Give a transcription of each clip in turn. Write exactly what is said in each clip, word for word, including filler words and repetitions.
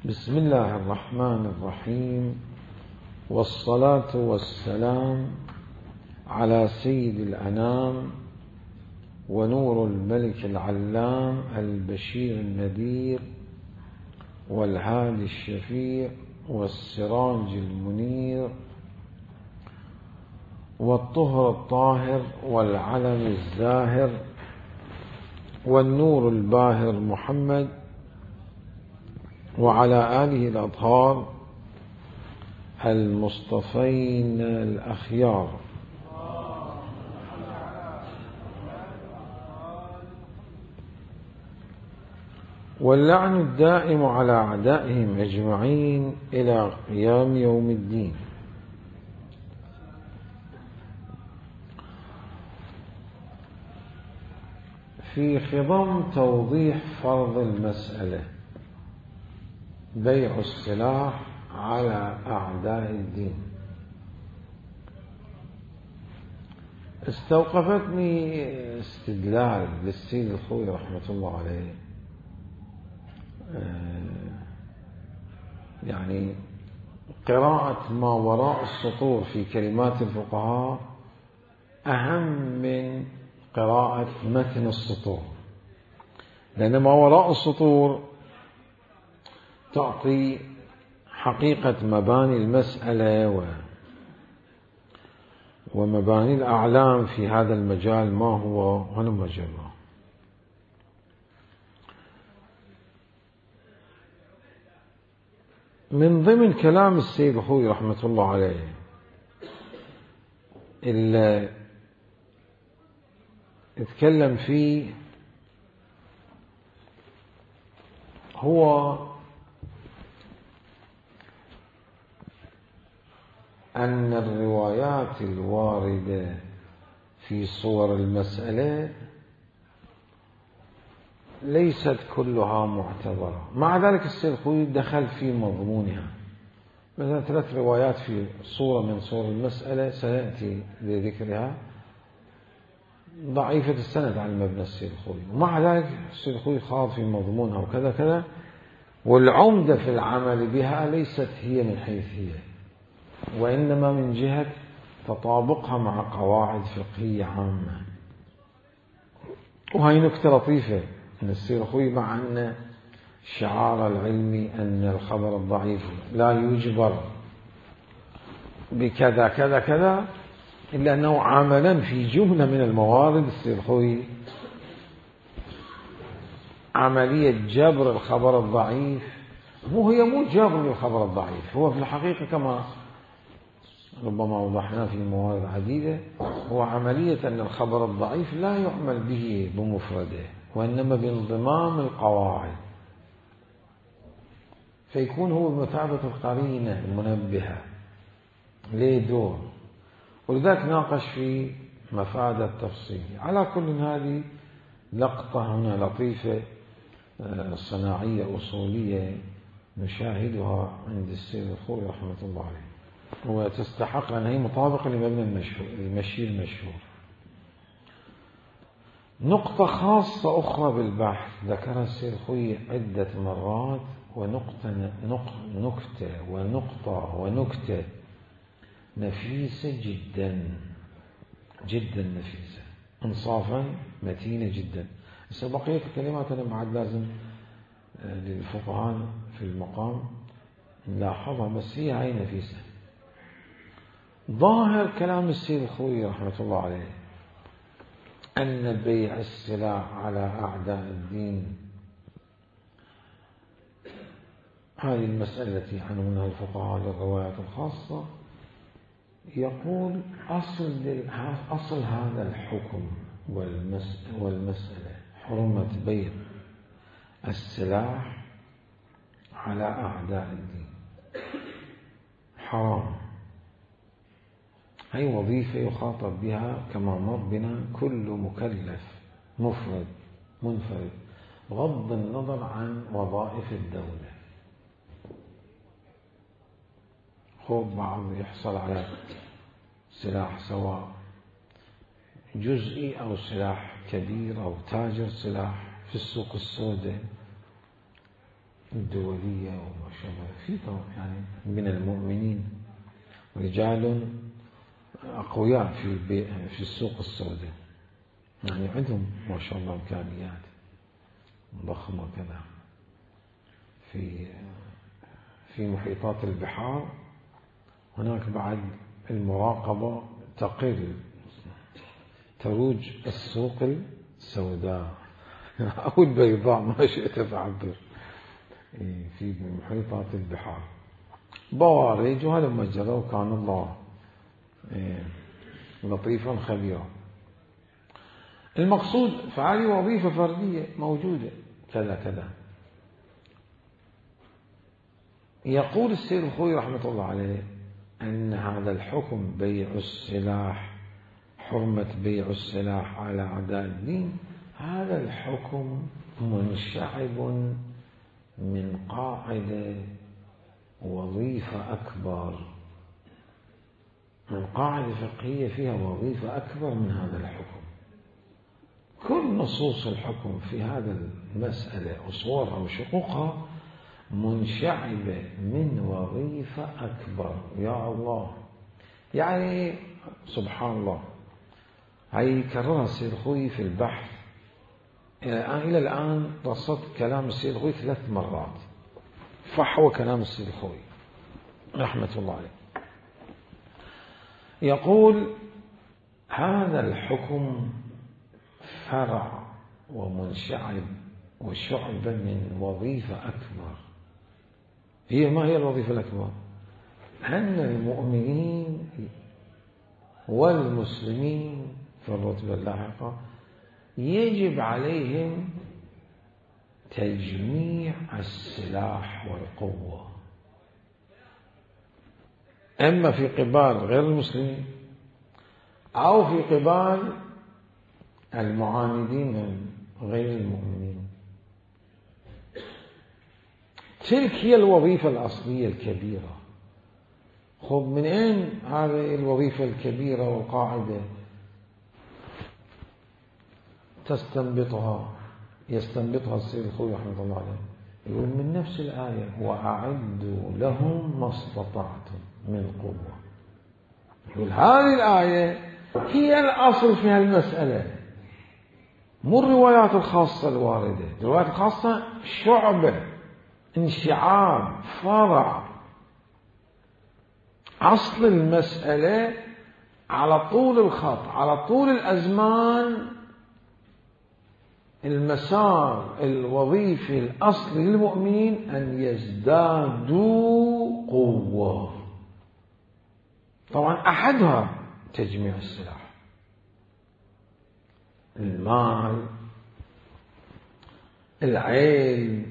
بسم الله الرحمن الرحيم، والصلاة والسلام على سيد الأنام ونور الملك العلام البشير النذير والهادي الشفيع والسراج المنير والطهر الطاهر والعلم الزاهر والنور الباهر محمد وعلى آله الأطهار المصطفين الأخيار. واللعن الدائم على أعدائهم أجمعين إلى قيام يوم الدين. في خضم توضيح فرض المسألة بيع السلاح على أعداء الدين، استوقفتني استدلال للسيد الخوي رحمة الله عليه، يعني قراءة ما وراء السطور في كلمات الفقهاء أهم من قراءة متن السطور، لأن ما وراء السطور تعطي حقيقة مباني المسألة و ومباني الأعلام في هذا المجال ما هو هلم جرا. من ضمن كلام السيد الخوي رحمة الله عليه اللي اتكلم فيه هو أن الروايات الواردة في صور المسألة ليست كلها معتبرة، مع ذلك السيد الخوي دخل في مضمونها. مثلا ثلاث روايات في صورة من صور المسألة سيأتي لذكرها ضعيفة السند عن مبنى السيد الخوي، ومع ذلك السيد الخوي خاض في مضمونها وكذا كذا، والعمدة في العمل بها ليست هي من حيث هي، وإنما من جهة تطابقها مع قواعد فقهية عامة. وهي نكتة لطيفة من السيد الخوي، مع أن الشعار العلمي أن الخبر الضعيف لا يجبر بكذا كذا كذا، إلا أنه عملا في جملة من الموارد السيد الخوي عملية جبر الخبر الضعيف. مو هي مو جبر للخبر الضعيف، هو في الحقيقة كما ربما وضحنا في موارد عديدة، هو عملية أن الخبر الضعيف لا يعمل به بمفرده، وإنما بانضمام القواعد، فيكون هو بمثابة القرينة المنبهة ليه دور، ولذلك ناقش في مفاد التفصيل. على كل هذه لقطة هنا لطيفة صناعية أصولية نشاهدها عند السيد الخوي رحمة الله عليه، وتستحق أن هي مطابقة لمبنى المشهور المشي المشهور. نقطة خاصة أخرى بالبحث ذكرها السيد الخوي عدة مرات، ونقطة نكتة ونقطة ونكتة نفيسة جدا جدا نفيسة، انصافا متينة جدا. بس بقية الكلمات أنا بعد لازم للفقهاء في المقام نلاحظها، بس هي هاي نفيسة. ظاهر كلام السيد الخوي رحمة الله عليه أن بيع السلاح على أعداء الدين، هذه المسألة التي عنونها الفقهاء للروايات الخاصة، يقول أصل أصل هذا الحكم والمسألة حرمة بيع السلاح على أعداء الدين، حرام. هي وظيفة يخاطب بها كما مر بنا كل مكلف مفرد منفرد بغض النظر عن وظائف الدولة. خوب بعض يحصل على سلاح سواء جزئي أو سلاح كبير أو تاجر سلاح في السوق السوداء، الدولية وما شابه، في يعني من المؤمنين رجال أقوياء في في السوق السوداء، يعني عندهم ما شاء الله إمكانيات ضخمة كذا في في محيطات البحار. هناك بعد المراقبة تقل، تروج السوق السوداء أو البيضاء ما شئت فعبر في محيطات البحار، بوارج وهذا مجرى، وكان الله لطيفا خبيرا. المقصود فهذه وظيفة فردية موجودة كذا كذا. يقول السيد الخوئي رحمة الله عليه أن هذا الحكم بيع السلاح، حرمة بيع السلاح على أعداء الدين، هذا الحكم منشعب من قاعدة وظيفة أكبر، من قاعدة فقهية فيها وظيفة أكبر من هذا الحكم. كل نصوص الحكم في هذا المسألة أصولها وشقوقها منشعبة من وظيفة أكبر. يا الله، يعني سبحان الله، هي كررها السيد الخوئي في البحث. إلى الآن رصدت كلام السيد الخوئي ثلاث مرات، فحوى كلام السيد الخوئي رحمة الله عليه. يقول هذا الحكم فرع ومنشعب وشعب من وظيفة أكبر. هي ما هي الوظيفة الأكبر؟ أن المؤمنين والمسلمين في الرتبة اللاحقة يجب عليهم تجميع السلاح والقوة، إما في قبال غير المسلمين أو في قبال المعاندين غير المؤمنين. تلك هي الوظيفة الأصلية الكبيرة. خب من أين هذه الوظيفة الكبيرة والقاعدة تستنبطها يستنبطها السيد الخوئي رحمه الله عليه؟ يقول من نفس الآية: وأعدوا لهم ما استطعتم من قوة. يقول هذه الآية هي الأصل في هالمسألة، مو الروايات الخاصة الواردة. الروايات الخاصة شعبة، انشعاب، فرع. أصل المسألة على طول الخط، على طول الأزمان، المسار الوظيفي الأصلي للمؤمنين أن يزدادوا قوة. طبعا أحدها تجميع السلاح، المال، العلم،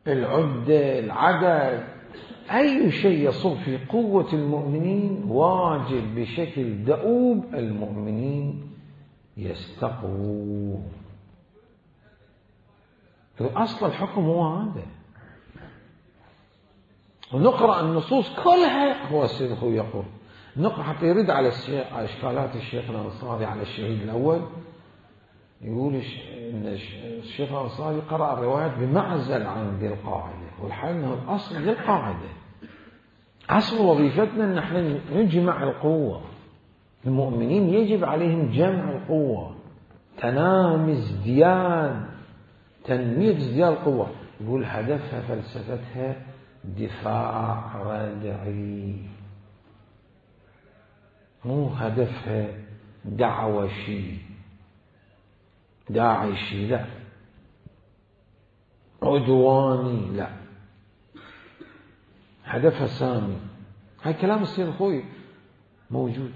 العدة، العدد، أي شيء يصب في قوة المؤمنين واجب بشكل دؤوب المؤمنين يستقووا. أصل الحكم هو هذا. ونقرأ النصوص كلها. هو السيد الخوئي يقول نقرأ حتى يرد على إشكالات الشيخ الأنصاري على الشهيد الأول. يقول إن الشيخ الأنصاري قرأ الروايات بمعزل عن ذي القاعدة، والحال أنه الأصل ذي القاعدة. أصل وظيفتنا أن نحن نجمع القوة. المؤمنين يجب عليهم جمع القوة، تنامي، ازدياد، تنمية ازدياد القوة. يقول هدفها فلسفتها دفاع ردعي، مو هدفها دعوشي داعشي، لا، عدواني، لا، هدفها سامي. هاي كلام السيد الخوئي موجود.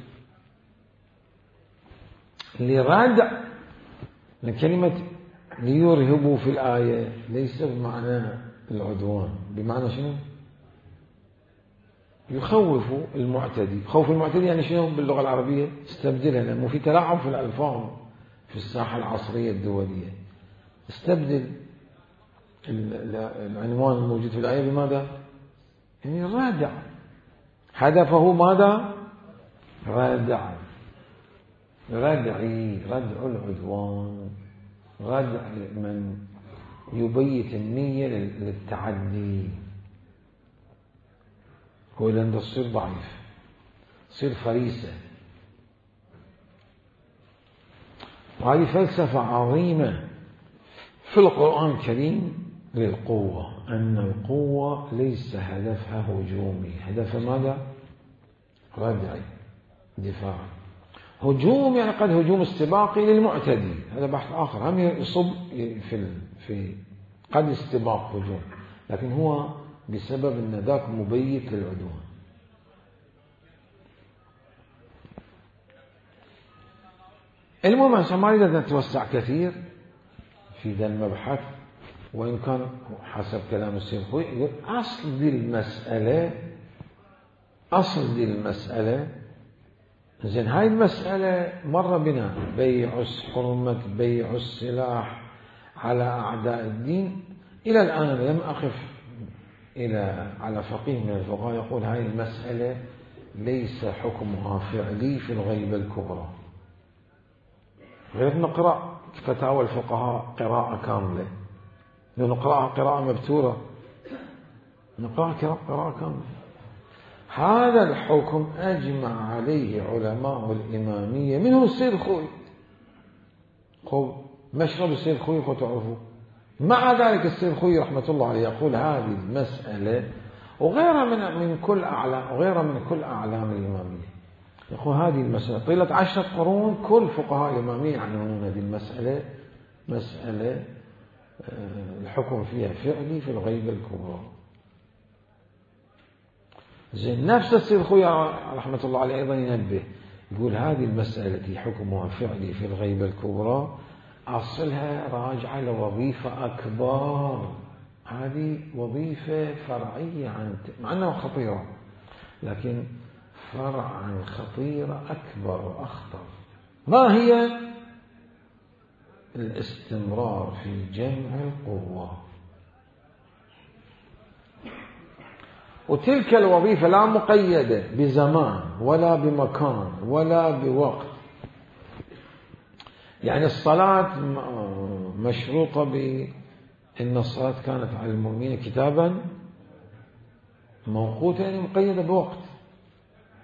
لردع لكلمة ليرهبوا في الآية ليس بمعنى العدوان، بمعنى شنو؟ يخوفوا المعتدي. خوف المعتدي يعني شنو باللغة العربية؟ استبدلها، لأنه في تلاعب في الألفاظ في الساحة العصرية الدولية. استبدل العنوان الموجود في الآية بماذا؟ يعني ردع. هدفه ماذا؟ ردع، ردعي، ردع العدوان، ردع من يبيت النية للتعدي. هو لأنه تصير ضعيف، تصير فريسة. وهذه فلسفة عظيمة في القرآن الكريم للقوة، أن القوة ليس هدفها هجومي، هدفها ماذا؟ ردعي، دفاعي. هجوم يعني قد هجوم استباقي للمعتدي، هذا بحث آخر، هم يصب في في قد استباق هجوم، لكن هو بسبب أن ذاك مبيت للعدوان. المهم عشان ما نريد نتوسع كثير في ذا المبحث، وإن كان حسب كلام السيد خوي يقول أصل دي المسألة، أصل دي المسألة زين، هاي المسألة مر بنا، بيع حرمة بيع السلاح على أعداء الدين. إلى الآن لم أقف إلى على فقيه من الفقهاء يقول هاي المسألة ليس حكمها فعلي في الغيبة الكبرى، غير نقرأ فتاوى الفقهاء قراءة كاملة، نقرأها قراءة مبتورة، نقرأها قراءة كاملة. هذا الحكم أجمع عليه علماء الإمامية منه السيد خوي، خب مشرب السيد خوي خو تعرفوا. مع ذلك السيد خوي رحمة الله عليه يقول هذه المسألة وغيرها من من كل أعلام وغيرها من كل أعلام الإمامية، يقول هذه المسألة طيلة عشرة قرون كل فقهاء الإمامية يعنون هذه المسألة مسألة الحكم فيها فعلي في الغيبة الكبرى. زين نفس السيد خويا رحمة الله عليه أيضا ينبه، يقول هذه المسألة التي حكمها فعلي في الغيبة الكبرى أصلها راجعة لوظيفة أكبر، هذه وظيفة فرعية عن مع أنها خطيرة، لكن فرعا خطيرة أكبر وأخطر. ما هي؟ الاستمرار في جمع القوة. وتلك الوظيفة لا مقيدة بزمان ولا بمكان ولا بوقت. يعني الصلاة مشروطة بأن الصلاة كانت على المؤمنين كتابا موقوتا، يعني مقيدة بوقت،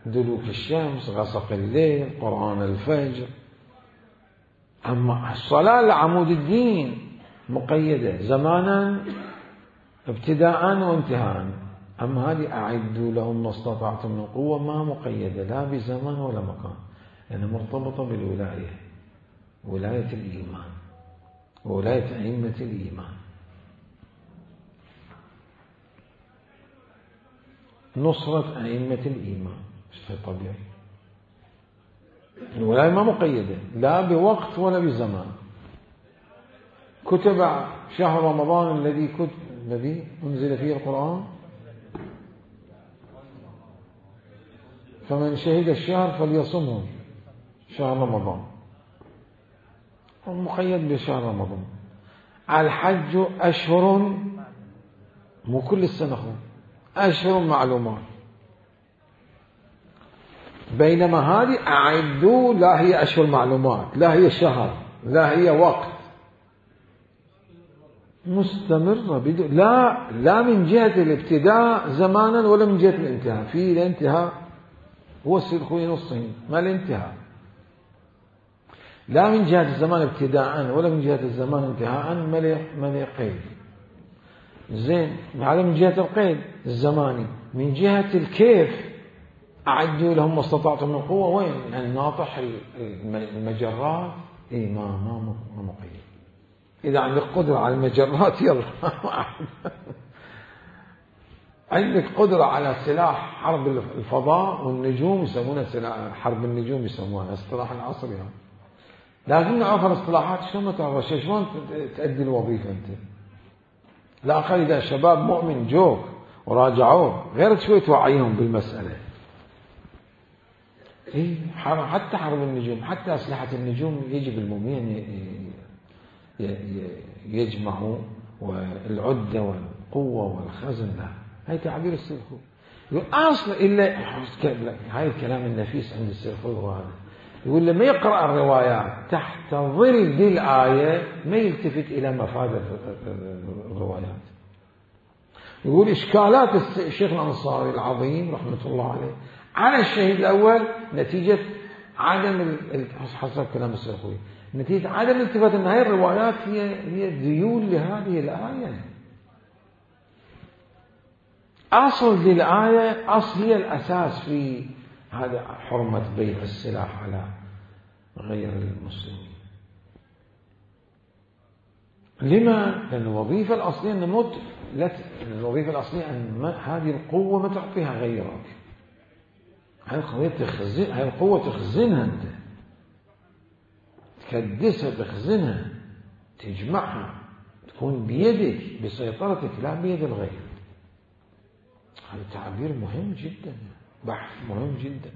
دلوك الشمس، غسق الليل، قرآن الفجر. أما الصلاة لعمود الدين مقيدة زمانا ابتداء وانتهاء. أما هذه أعدوا لهم ما استطعتم من قوة ما مقيدة لا بزمان ولا مكان، لأنها يعني مرتبطة بالولاية، ولاية الإيمان وولاية أئمة الإيمان. نصرة أئمة الإيمان شيء طبيعي. الولاية ما مقيدة لا بوقت ولا بزمان. كتب شهر رمضان الذي كتب الذي أنزل فيه القرآن، فمن شهد الشهر فليصمه، شهر رمضان مقيد بشهر رمضان. الحج أشهر مو كل السنة، أشهر معلومات. بينما هذه أعدوا لا هي أشهر معلومات، لا هي شهر، لا هي وقت، مستمرة بدو لا لا من جهة الابتداء زمانا ولا من جهة الانتهاء. في الانتهاء هو السيد خوي نصين ما الانتهاء، لا من جهة الزمان ابتداء ولا من جهة الزمان انتهاء ما لي قيد. زين هذا من جهة القيد الزماني. من جهة الكيف أعدوا لهم ما استطعتم من قوة، وين يعني ناطح المجرات إيه ما ما ما مقيد. إذا عندك قدرة على المجرات يلا عندك قدرة على سلاح حرب الفضاء والنجوم يسمونها سلاح حرب النجوم، يسمونها اصطلاح العصر يعني. لازم نعرف الاصطلاحات شلون ما تعرف شلون تؤدي الوظيفة أنت. لا أقل إذا شباب مؤمن جوك وراجعوه غير شوي توعيهم بالمسألة. إيه حتى حرب النجوم، حتى أسلحة النجوم يجب المؤمنين يجمعوا، والعدة والقوة والخزن لا. هاي تعبير السلخو. يقول أصل إلا هاي الكلام النفيس عند السلخو هو هذا. يقول لما يقرأ الروايات تحت ظل ذي الآية ما يلتفت إلى مفاد الروايات. يقول إشكالات الشيخ الأنصاري العظيم رحمة الله عليه على الشهيد الأول نتيجة عدم حسب كلام السلفوي نتيجة عدم الالتفات أن هذه الروايات هي هي ذيول لهذه الآية. أصل للآية أصل هي الأساس في هذا حرمة بيع السلاح على غير المسلمين. لما؟ لأن الوظيفة الأصلية أن موت لا الوظيفة الأصلية أن هذه القوة ما تعطيها غيرك. هاي القوة تخزن هاي القوة تخزنها أنت تكدسها تخزنها تجمعها تكون بيدك بسيطرتك لا بيد الغير. هذا تعبير مهم جدا بحث مهم جدا.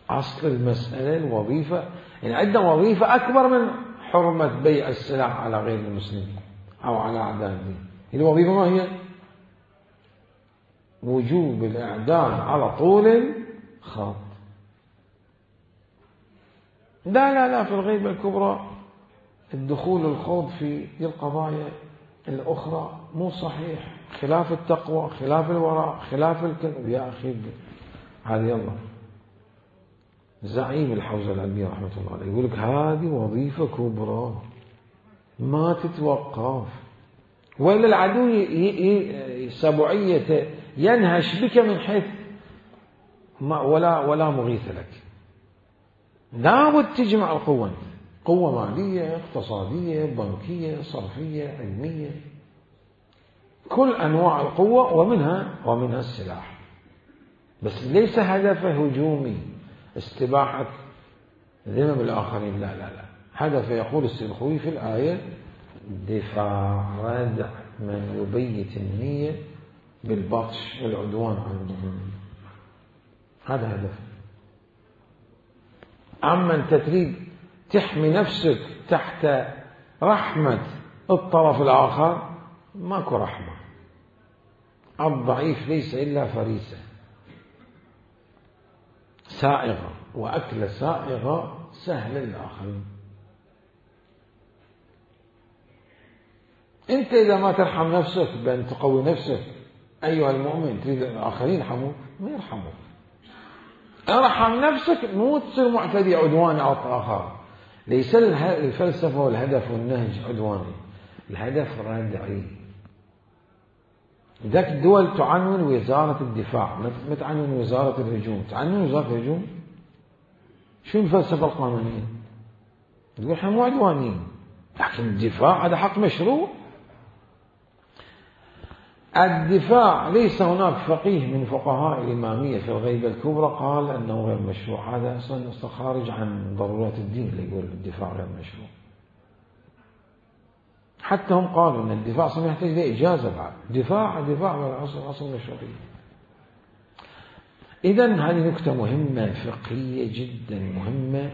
أصل المسألة الوظيفة يعني عندنا وظيفة أكبر من حرمة بيع السلاح على غير المسلمين أو على أعداء الدين. الوظيفة ما هي؟ وجوب الإعدام على طول خط. لا لا لا في الغيبة الكبرى الدخول الخوض في القضايا الأخرى مو صحيح خلاف التقوى خلاف الوراء خلاف الكذب. يا أخي هذه الله زعيم الحوزة العلمية رحمة الله عليه يقول لك هذه وظيفة كبرى ما تتوقف ولا العدو سبعية ينهش بك من حيث ولا ولا مغيث لك. لابد تجمع القوة قوة مالية اقتصادية بنكية صرفية علمية كل أنواع القوة ومنها ومنها السلاح. بس ليس هدفه هجومي استباحة ذمم الآخرين لا لا لا. هدفه يقول السلخوي في الآية دفاع ردع من يبيت النية بالبطش والعدوان على المؤمنين. هذا هدفه. أما أنت تريد تحمي نفسك تحت رحمة الطرف الآخر ماكو رحمة. الضعيف ليس إلا فريسة سائغة وأكل سائغة سهل للآخرين. أنت إذا ما ترحم نفسك بأن تقوي نفسك أيها المؤمن تريد الآخرين يرحموك ما يرحموك. ارحم نفسك مو تصير معتدي عدواني على الآخر. ليس الفلسفة والهدف والنهج عدواني الهدف ردعي. ذاك الدول تعنون وزارة الدفاع ما تعنون وزارة الهجوم. تعنون وزارة الهجوم شو الفلسفة القانونية؟ تقول احنا مو عدوانيين لكن الدفاع هذا حق مشروع. الدفاع ليس هناك فقيه من فقهاء الإمامية في الغيبة الكبرى قال أنه غير مشروع. هذا أصلا خارج عن ضرورات الدين اللي يقول الدفاع غير مشروع. حتى هم قالوا أن الدفاع أصلا يحتاج لإجازة بعد. دفاع دفاع أصل أصل مشروعي. إذن هذه نكتة مهمة فقهية جدا مهمة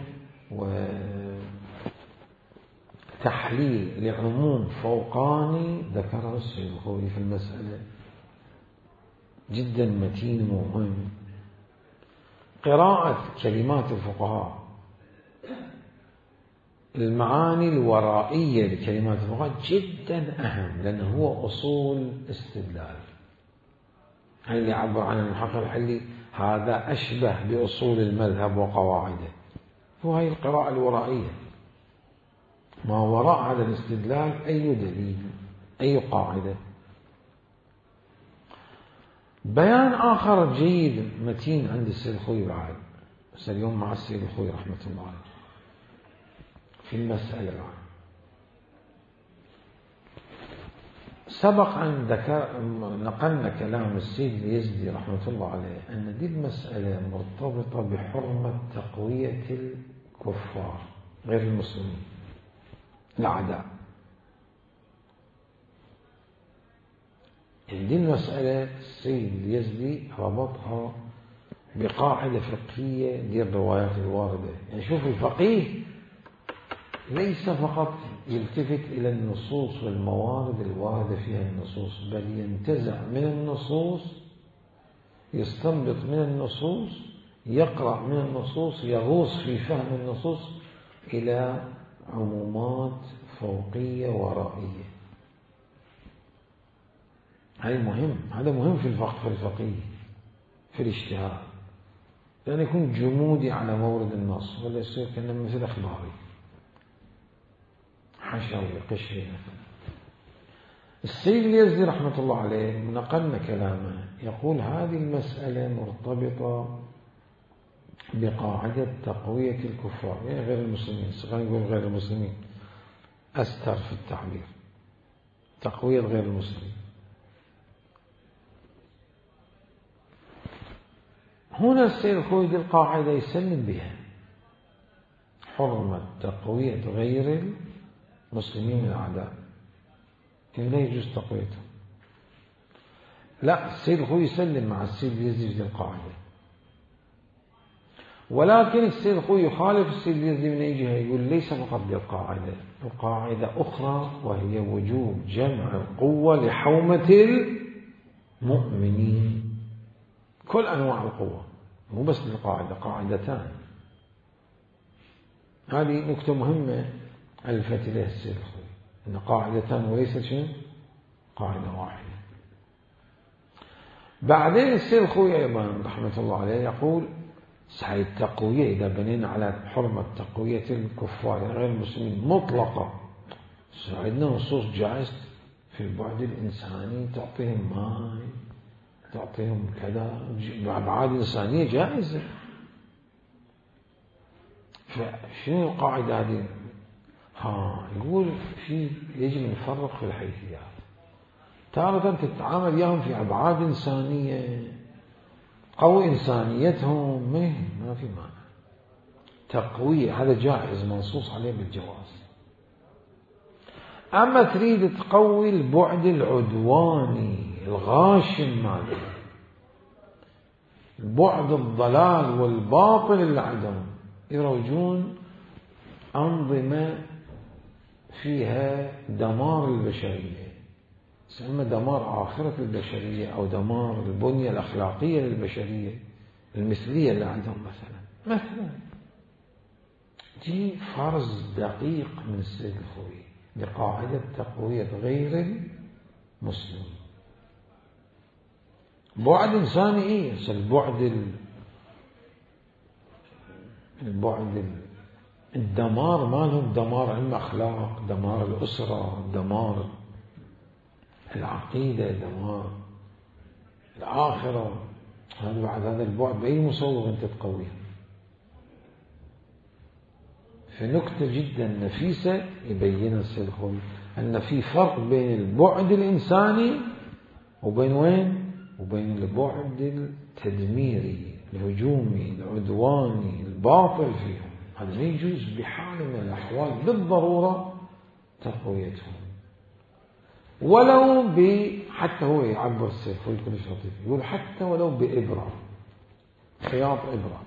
وتحليل لعموم فوقاني ذكره السلخوي في المسألة جدا متين ومهم. قراءة كلمات الفقهاء المعاني الورائية لكلمات الفقهاء جدا أهم لأنه هو أصول استدلال. هل اللي عبر عن المحقق الحلي هذا أشبه بأصول المذهب وقواعده. هو هي القراءة الورائية ما وراء هذا الاستدلال أي دليل أي قاعدة. بيان آخر جيد متين عند السلخوي بعد بس اليوم مع السلخوي رحمة الله عليه في المسألة بعد. سبق أن ذكر نقلنا كلام السيد اليزدي رحمة الله عليه أن دي المسألة مرتبطة بحرمة تقوية الكفار غير المسلمين الأعداء. دي المسألة السيد اليزدي ربطها بقاعدة فقهية دي الروايات الواردة. يعني شوف الفقيه ليس فقط يلتفت إلى النصوص والموارد الواردة فيها النصوص بل ينتزع من النصوص يستنبط من النصوص يقرأ من النصوص يغوص في فهم النصوص إلى عمومات فوقية ورائية. هذا مهم، هذا مهم في الفقه في الفقيه في الاجتهاد، لأن يكون جمودي على مورد النص ولا يصير كأنه مثل أخباري حشوي قشري مثلا. السيد اليزدي رحمة الله عليه نقلنا كلامه يقول هذه المسألة مرتبطة بقاعدة تقوية الكفار، يعني غير المسلمين، خلينا نقول غير المسلمين أستر في التعبير، تقوية غير المسلمين. هنا السيد الخوي دي القاعدة يسلم بها، حرمة تقوية غير المسلمين الأعداء، لا يجوز تقويتهم. لا، السيد الخوي يسلم مع السيد اليزدي في القاعدة، ولكن السيد الخوي يخالف السيد اليزدي من جهة، يقول ليس فقط بالقاعدة، القاعدة أخرى وهي وجوب جمع القوة لحومة المؤمنين، كل أنواع القوة، مو بس القاعدة، قاعدتان. هذه نكتة مهمة ألفت إليها السيد الخوي، أن قاعدتان وليست شيء قاعدة واحدة. بعدين السيد الخوي أيضا رحمة الله عليه يقول صحيح التقوية إذا بنينا على حرمة تقوية الكفار غير المسلمين مطلقة، عندنا نصوص جائز في البعد الإنساني، تعطيهم ماء، تعطيهم كذا، أبعاد إنسانية جائزة. فشنو القاعدة هذه؟ ها يقول في يجب نفرق في الحيثيات، تارة تتعامل وياهم في أبعاد إنسانية قوي إنسانيتهم ما في معنى، تقوية هذا جائز منصوص عليه بالجواز. أما تريد تقوي البعد العدواني الغاشم ماله، البعد الضلال والباطل اللي عندهم، يروجون أنظمة فيها دمار البشرية، سمى دمار آخرة البشرية أو دمار البنية الأخلاقية للبشرية المثلية اللي عندهم. مثلا مثلا دي فرض دقيق من السيد الخوي لقاعدة تقوية غير المسلم. بعد إنساني إيه؟ البعد ال... البعد ال... الدمار مالهم دمار الأخلاق، دمار الأسرة، دمار العقيدة، دمار الآخرة. هذا بعد هذا البعد بأي مصور أنت تقويه. في نكتة جدا نفيسة يبين السيد الخوي أن في فرق بين البعد الإنساني وبين وين؟ وبين البعد التدميري الهجومي العدواني الباطل فيهم. هذا لا يجوز بحال من الأحوال بالضرورة تقويتهم، ولو ب حتى هو يعبر السيد الخوي كل شيء لطيف، يقول حتى ولو بإبرة، خياط إبرة.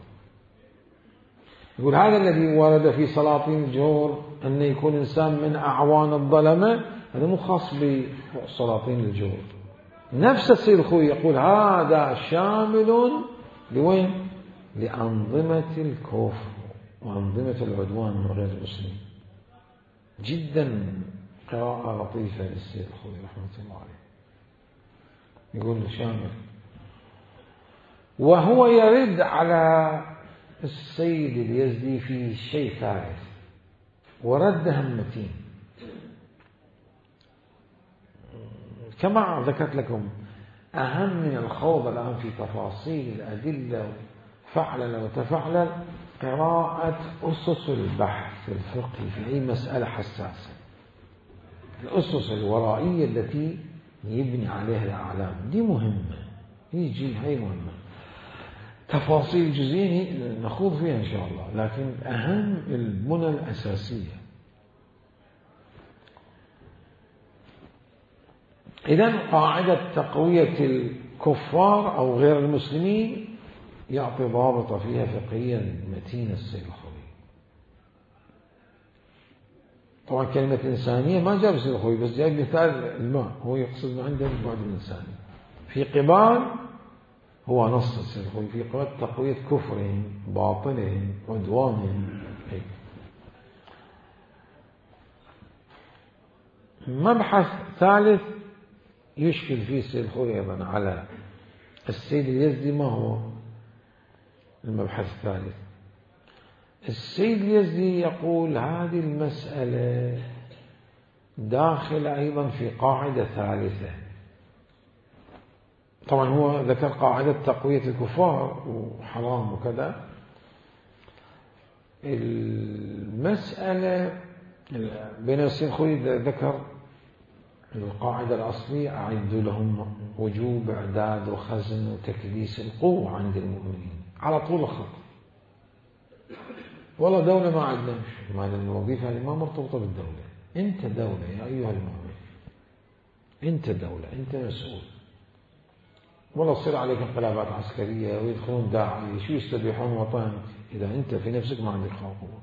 يقول هذا الذي ورد في سلاطين الجور أن يكون إنسان من أعوان الظلمة، هذا مو خاص بسلاطين الجور. نفس السيد الخوي يقول هذا شامل لوين؟ لأنظمة الكفر وأنظمة العدوان من غير المسلمين. جدا قراءة لطيفة للسيد الخوي رحمة الله عليه، يقول شامل. وهو يرد على السيد اليزدي في شيء ثالث، ورد همتين كما ذكرت لكم. أهم من الخوض الآن في تفاصيل الأدلة فعلا وتفعلا قراءة أسس البحث الفقهي في أي مسألة حساسة، الأسس الورائية التي يبني عليها الأعلام، دي مهمة، يجي هاي مهمة. تفاصيل جزئية نخوض فيها إن شاء الله، لكن أهم البنى الأساسية. إذن قاعدة تقوية الكفار أو غير المسلمين يعطي ضابط فيها فقهيا متين السيد الخوي. طبعا كلمة إنسانية ما جاب السيد الخوي، بس جاب مثال الماء، هو يقصد عنده البعد الإنساني في قبال هو نص السيد الخوئي في تقوية كفرهم باطلهم عدوانهم. هيك. مبحث ثالث يشكل فيه السيد الخوئي أيضا على السيد اليزدي. ما هو المبحث الثالث؟ السيد اليزدي يقول هذه المسألة داخل أيضا في قاعدة ثالثة. طبعا هو ذكر قاعدة تقوية الكفار وحرام وكذا. المسألة بين السيد الخوئي ذكر القاعدة الأصلية أعدوا لهم وجوب إعداد وخزن وتكديس القوة عند المؤمنين على طول الخط. والله دولة ما عندنا ما الوظيفة هذه ما مرتبطة بالدولة. أنت دولة يا أيها المؤمن، أنت دولة، أنت مسؤول. والله تصير عليك انقلابات عسكرية ويدخلون داعي شو يستبيحون وطنك. إذا أنت في نفسك ما عندك قوة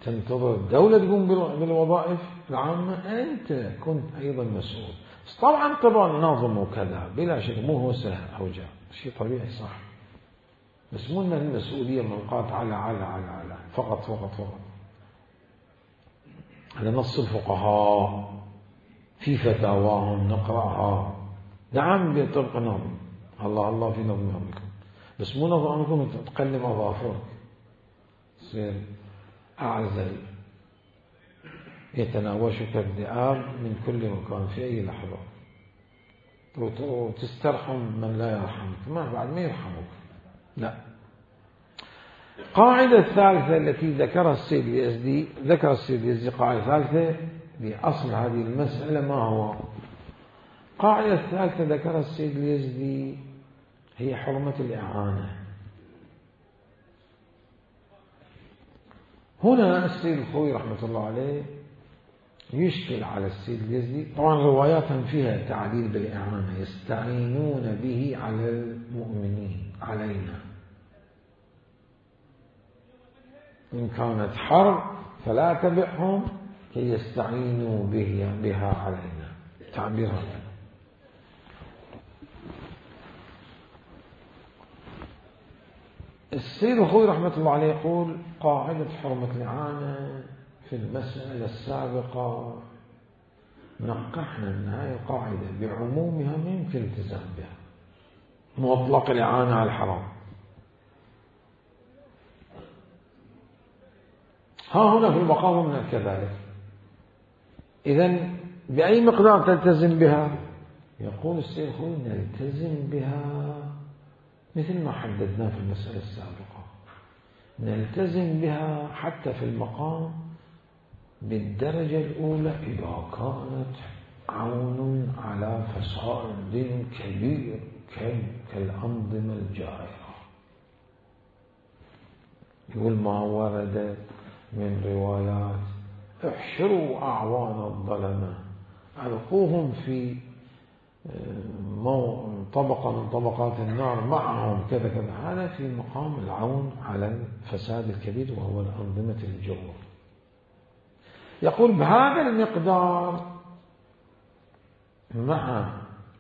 تنتظر الدولة تقوم بالوظائف العامة، أنت كنت أيضا مسؤول. طبعا طبعا ناظم وكذا بلا شك مو هو سهل أو جاء شيء طبيعي صح، بس مو أن المسؤولية منقاط على على على على فقط فقط فقط. على نص الفقهاء في فتاواهم نقرأها. نعم بطبق نظم الله الله في نظم أمركم، بس مو نظم أمركم تقلم أظافرك تصير أعزل يتناوشك الذئاب من كل مكان في أي لحظة وتسترحم من لا يرحمك. ما بعد ما يرحمك. لا. قاعدة الثالثة التي ذكرها السيد اليزدي، ذكر السيد اليزدي قاعدة ثالثة لأصل هذه المسألة. ما هو قاعدة الثالثة ذكرها السيد اليزدي؟ هي حرمة الإعانة. هنا السيد الخوئي رحمة الله عليه يشكل على السيد اليزدي. طبعا رواياتهم فيها تعليل بالإعانة، يستعينون به على المؤمنين علينا، إن كانت حرب فلا تبعهم كي يستعينوا بها علينا. تعبير هذا. السيد الخوئي رحمة الله عليه يقول قاعدة حرمة الإعانة في المسألة السابقة نقحنا أن هذه القاعدة بعمومها ما يمكن الالتزام بها، مطلق الإعانة على الحرام. ها هنا في المقام من كذلك. إذن بأي مقدار تلتزم بها؟ يقول السيد الخوئي نلتزم بها مثل ما حددنا في المسألة السابقة، نلتزم بها حتى في المقام بالدرجة الأولى إذا كانت عون على فساد كبير كالأنظمة الجائرة. يقول ما ورد من روايات احشروا أعوان الظلمة ألقوهم في طبقة من طبقات النار معهم كذا كذا. هذا في مقام العون على الفساد الكبير وهو الأنظمة الجور. يقول بهذا المقدار مع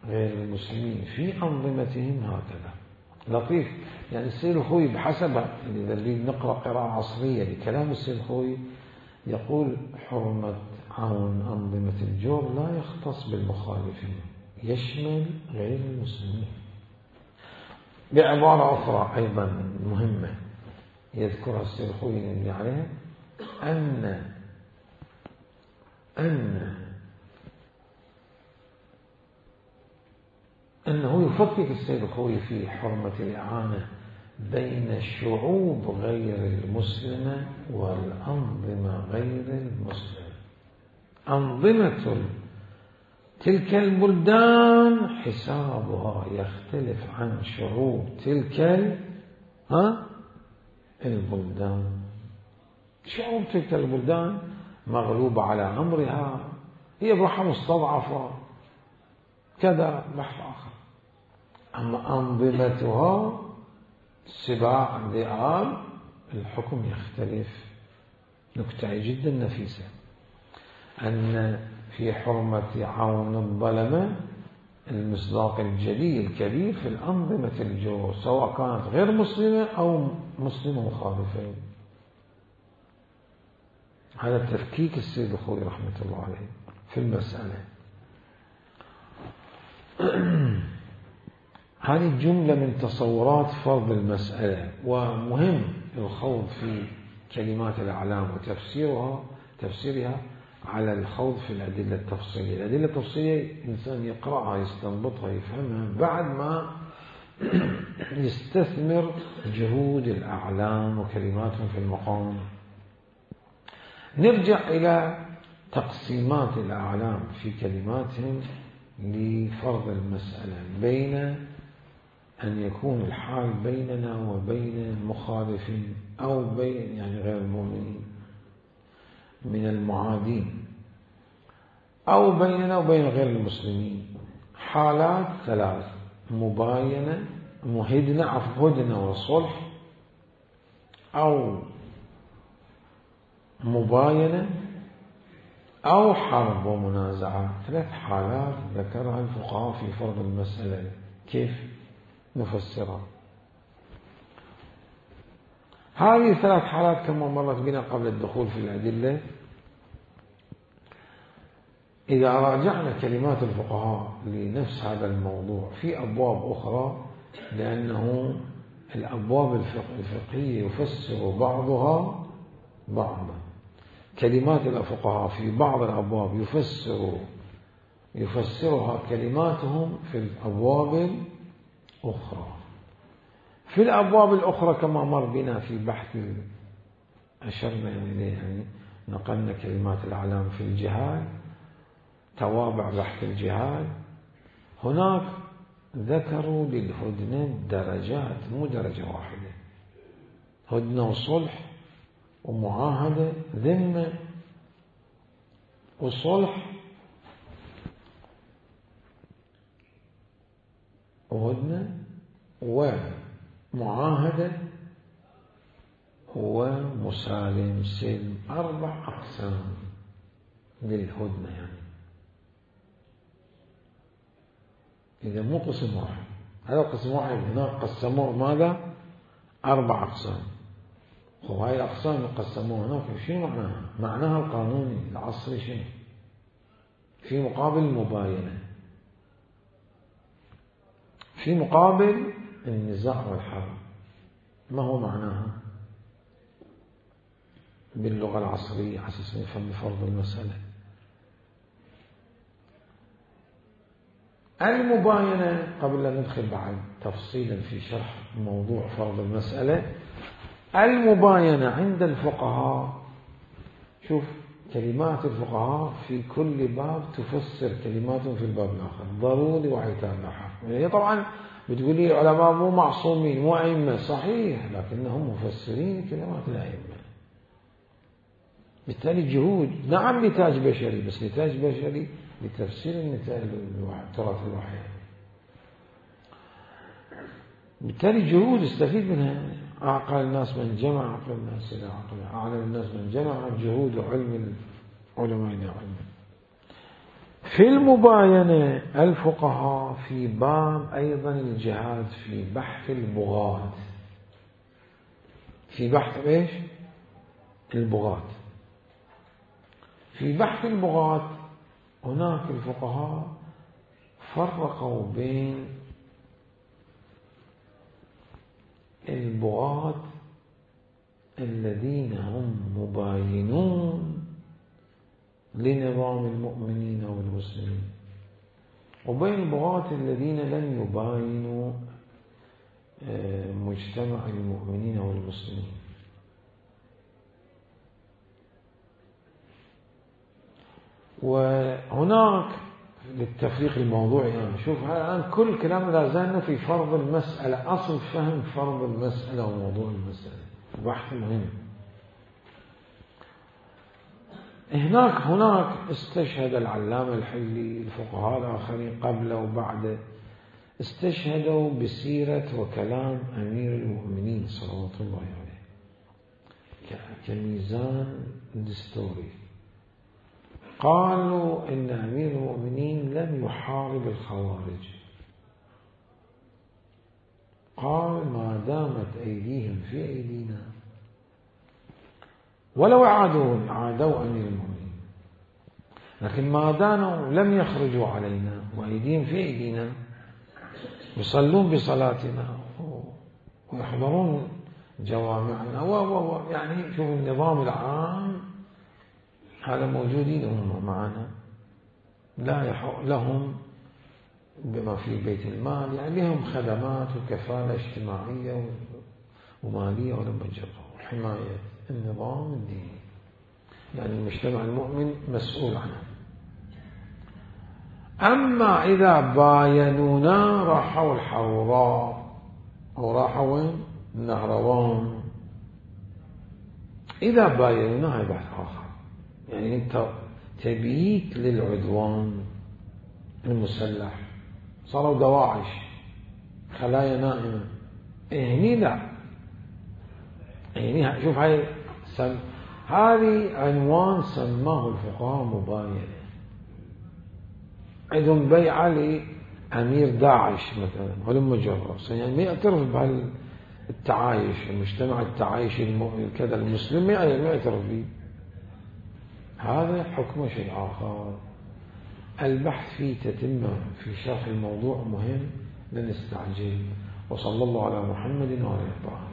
غير المسلمين في أنظمتهم هكذا. لطيف يعني السيد الخوئي بحسب إذا نريد نقرأ قراءة عصرية لكلام السيد الخوئي يقول حرمة عون أنظمة الجور لا يختص بالمخالفين، يشمل غير المسلمين. بعبارة أخرى أيضا مهمة يذكرها السيد الخوئي يبني عليها أن أن أنه يفكك السيد الخوئي في حرمة الإعانة بين الشعوب غير المسلمة والأنظمة غير المسلمة. أنظمة تلك البلدان حسابها يختلف عن شعوب تلك ها البلدان. شعوب تلك البلدان مغلوبة على أمرها، هي بروحها مستضعفة كذا بحث آخر. أما أنظمتها سباع ذئاب الحكم يختلف. نكتة جدا نفيسة أن في حرمة عون الظلمة المصداق الجلي الكبير في الأنظمة الجو، سواء كانت غير مسلمة أو مسلمة مخالفة. هذا تفكيك السيد الخوئي رحمة الله عليه في المسألة. هذه جملة من تصورات فرض المسألة، ومهم الخوض في كلمات الأعلام وتفسيرها تفسيرها على الخوض في الأدلة التفصيلية. الأدلة التفصيلية الإنسان يقرأها يستنبطها يفهمها بعد ما يستثمر جهود الأعلام وكلماتهم في المقام. نرجع إلى تقسيمات الأعلام في كلماتهم لفرض المسألة، بين أن يكون الحال بيننا وبين المخالفين أو بين يعني غير المؤمنين من المعادين، أو بيننا وبين غير المسلمين. حالات ثلاث: مباينة، مهدنة عفوا هدنة وصلح، أو مباينة أو حرب ومنازعة. ثلاث حالات ذكرها الفقهاء في فرض المسألة. كيف نفسرها؟ هذه الثلاث حالات كما مرت بنا قبل الدخول في الأدلة. إذا راجعنا كلمات الفقهاء لنفس هذا الموضوع في أبواب أخرى، لأنه الأبواب الفقهية يفسر بعضها بعضا. كلمات الفقهاء في بعض الأبواب يفسر يفسرها كلماتهم في الأبواب الأخرى. في الأبواب الأخرى كما مر بنا في بحث أشرنا إليه، يعني نقلنا كلمات الأعلام في الجهاد، توابع بحث الجهاد. هناك ذكروا للهدنة درجات، مو درجة واحدة، هدنة وصلح ومعاهدة، ذمة وصلح وهدنة ومعاهدة ومسالم سلم. أربع أقسام للهدنة، يعني إذا مو قسم واحد، هذا قسم واحد، هناك قسموه ماذا؟ أربع أقسام. وهاي الأقسام قسموها هناك، شنو معناها؟ معناها القانوني العصري شنو؟ في مقابل المباينة، في مقابل النزاع والحرب. ما هو معناها باللغة العصرية على أساس نفهم فرض المسألة؟ المباينة، قبل أن ندخل بعد تفصيلا في شرح موضوع فرض المسألة، المباينة عند الفقهاء، شوف كلمات الفقهاء في كل باب تفسر كلماتهم في الباب الآخر، ضروري وعتاب لاحق. هي طبعا بتقولي العلماء مو معصومين مو أئمة، صحيح، لكنهم مفسرين كلمات الأئمة. بالتالي جهود، نعم نتاج بشري، بس نتاج بشري لتفسير النتاج التراث الوحي. بالتالي جهود استفيد منها. أعقل الناس من جمع عقل الناس إلى عقله، أعلم الناس من جمع جهود علم العلماء إلى علمه. في المباينة الفقهاء في باب أيضا الجهاد في بحث البغاة، في بحث إيش؟ البغاة. في بحث البغاة هناك الفقهاء فرقوا بين البغاة الذين هم مباينون لنظام المؤمنين والمسلمين، وبين البغاة الذين لم يباينوا مجتمع المؤمنين والمسلمين. وهناك للتفريق الموضوعي، يعني شوف الآن كل كلام لا زالنا في فرض المسألة، أصل فهم فرض المسألة وموضوع المسألة، بحث مهم. هناك هناك استشهد العلامة الحلي، الفقهاء الآخرين قبله وبعده استشهدوا بسيرة وكلام أمير المؤمنين صلوات الله عليه كميزان دستوري. قالوا إن أمير المؤمنين لم يحارب الخوارج. قال ما دامت أيديهم في أيدينا ولو عادوا عادوا أمير المؤمنين، لكن ما دانوا لم يخرجوا علينا وأيديهم في أيدينا، يصلون بصلاتنا ويحضرون جوامعنا و و يعني شوف النظام العام هذا موجودين هم معنا، لا يحق لهم بما في بيت المال، يعني لهم خدمات وكفالة اجتماعية ومالية ولم يجروا حماية النظام الديني، يعني المجتمع المؤمن مسؤول عنه. أما إذا باينونا راحوا الحوراء وراحوا وين؟ النهروان. إذا باينونا هاي بحث آخر، يعني أنت تبيت للعدوان المسلح، صاروا دواعش خلايا نائمة، هني لا، هني شوف هاي سم... هذه عنوان سماه الفقهاء مباينة. عندهم بيعة لأمير داعش مثلا ولم جرس، يعني ما يعترف بالتعايش، المجتمع التعايش كذا المسلم ما يعترف به، هذا حكم شيء آخر. البحث فيه تتمة في شرح الموضوع مهم، لا نستعجل. وصلى الله على محمد وعلى آله.